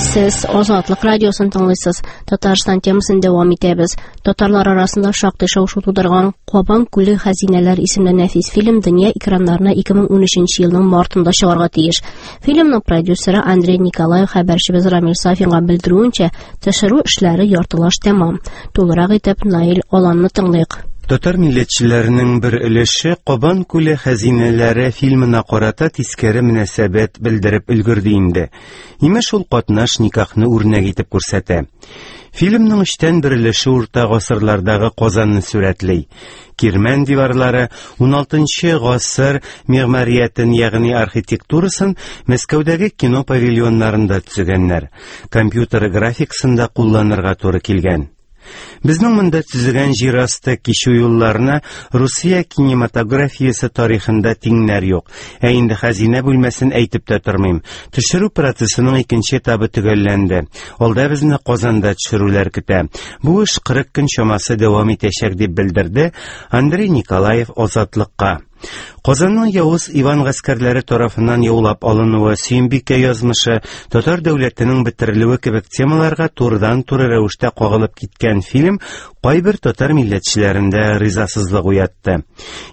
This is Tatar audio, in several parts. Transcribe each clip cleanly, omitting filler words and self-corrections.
Сез Азатлык радиосын тыңлыйсыз. Татарстан темасын дәвам итәбез. Татарлар арасында шактый шау-шу тудырган Кабан күле хәзинәләр исемле нәфис фильм дөнья экраннарына 2013 елның мартында чыгарга тиеш. Фильмның продюсеры Андрей Николаев хәбәрчебез Рамил Сафинга белдерүенчә, төшерү эшләре яртылаш тәмам. Тулырак итеп Наил Аланны тыңлыйк. Татар милләтчеләренең бер өлеше Кабан күле хәзинәләре фильмына карата тискәре мөнәсәбәт белдереп өлгерде инде. Имеш, ул катнаш никахны үрнәк итеп күрсәтә. Фильмның өчтән бер өлеше урта гасырлардагы Казанны сурәтли. Кирмән диварлары 16 гасыр мигъмариятен, ягъни архитектурасын Мәскәүдәге кино павильоннарында төзегәннәр. Компьютер графикасын да кулланырга туры килгән. Безнең монда төзегән җир асты кичү юлларына Русия кинематографиясе тарихында тиңнәр юк. Ә инде хәзинә бүлмәсен әйтеп тә тормыйм. Төшерү процессының икенче этабы төгәлләнде. Алда безне Казанда төшерүләр көтә. Бу эш 40 көн чамасы дәвам итәчәк, дип белдерде Андрей Николаев Азатлыкка. Казанның явыз Иван гаскәрләре тарафыннан яулап алынуы, Сөембикә язмышы, татар дәүләтенең бетерелүе кебек темаларга турыдан-туры рәвештә кагылып киткән фильм кайбер татар милләтчеләрендә ризасызлык уятты.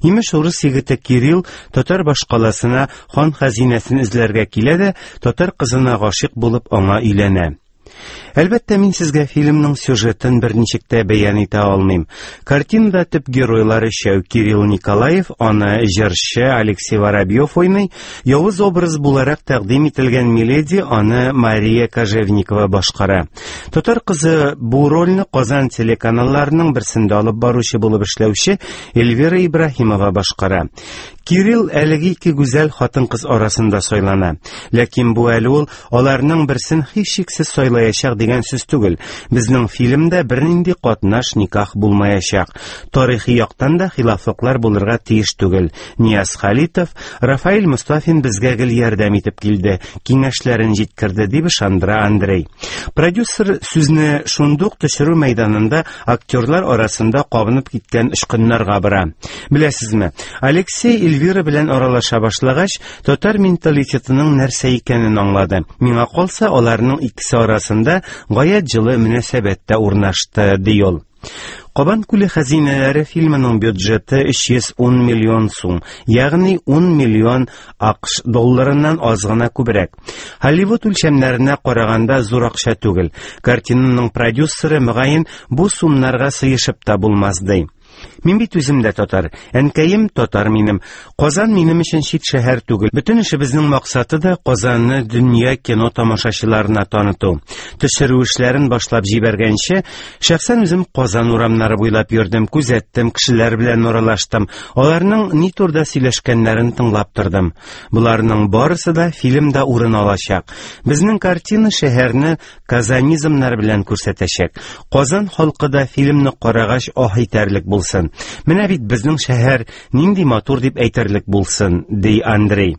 Имеш, урыс егете Кирилл татар башкаласына хан хәзинәсен эзләргә килә дә, татар кызына гашыйк булып аңа өйләнә. Әлбәттә, мин сезгә фильмның сюжетын берничек тә бәян итә алмыйм. Картинада төп геройлар өчәү: Кирилл Николаев, аны җырчы Алексей Воробьев уйный, явыз образ буларак тәкъдим ителгән Миледи, аны Мария Кожевникова башкара. Татар кызы бу рольне Казан телеканалларының берсендә алып баручы булып эшләүче Эльвира Ибраһимова башкара. Кирилл әлеге ике гүзәл хатын-кыз арасында сайлана. Ләкин бу әле ул аларның берсен һичшиксез сайлаячак дигән сүз түгел. Безнең фильмда бернинди катнаш никах булмаячак. Тарихи яктан да хилафлыклар булырга тиеш түгел. Нияз Халитов, Рафаэль Мостафин безгә гел ярдәм итеп килде, киңәшләрен җиткерде, дип ышандыра Андрей. Продюсер сүзне шундук төшерү мәйданында актерлар арасында кабынып киткән очкыннарга бара. Беләсезме, Алексей Эльвира белән аралаша башлагач, татар менталитетының нәрсә икәнен аңлады. Миңа калса, аларның икесе арасында гаять җылы мөнәсәбәт тә урнашты, ди ул. Кабан күле хәзинәләре фильмының бюджеты 310 миллион сум, ягъни 10 миллион АКШ долларыннан аз гына күбрәк. Hollywood үлчәмнәренә караганда зур акча түгел. Картинаның продюсеры, мөгаен, бу сумнарга сыешып та булмас, ди. Мин бит үзем дә татар. Әнкәем татар минем. Казан минем өчен чит шәһәр түгел. Бөтен эшебезнең максаты да Казанны дөнья кино тамашачыларына таныту. Төшерү эшләрен башлап җибәргәнче, шәхсән үзем Казан урамнары буйлап йөрдем, күзәттем, кешеләр белән аралаштым. Аларның ни турыда сөйләшкәннәрен тыңлап тордым. Боларның барысы да фильмда урын алачак. Безнең картина шәһәрне казанизмнар белән күрсәтәчәк. Казан халкы да фильмны карагач аһ итәрлек булсын. Менә бит безнең шәһәр нинди матур дип әйтерлек булсын, ди Андрей.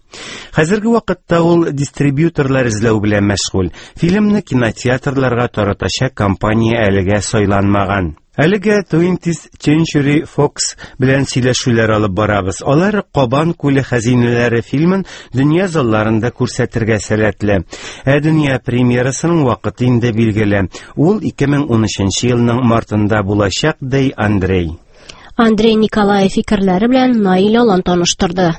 Хәзерге вакытта ул дистрибьюторлар эзләү белән мәшгуль. Фильмны кинотеатрларга таратачак компания әлегә сайланмаган. Әлегә 20th Century Fox белән сөйләшүләр алып барабыз. Алар Кабан күле хәзинәләре фильмын дөнья залларында күрсәтергә сәләтле. Ә дөнья премьерасының вакыты инде билгеле. Ул 2013 елның мартында булачак, ди Андрей. Андрей Николаев фикерләре белән Наил Алан таныштырды.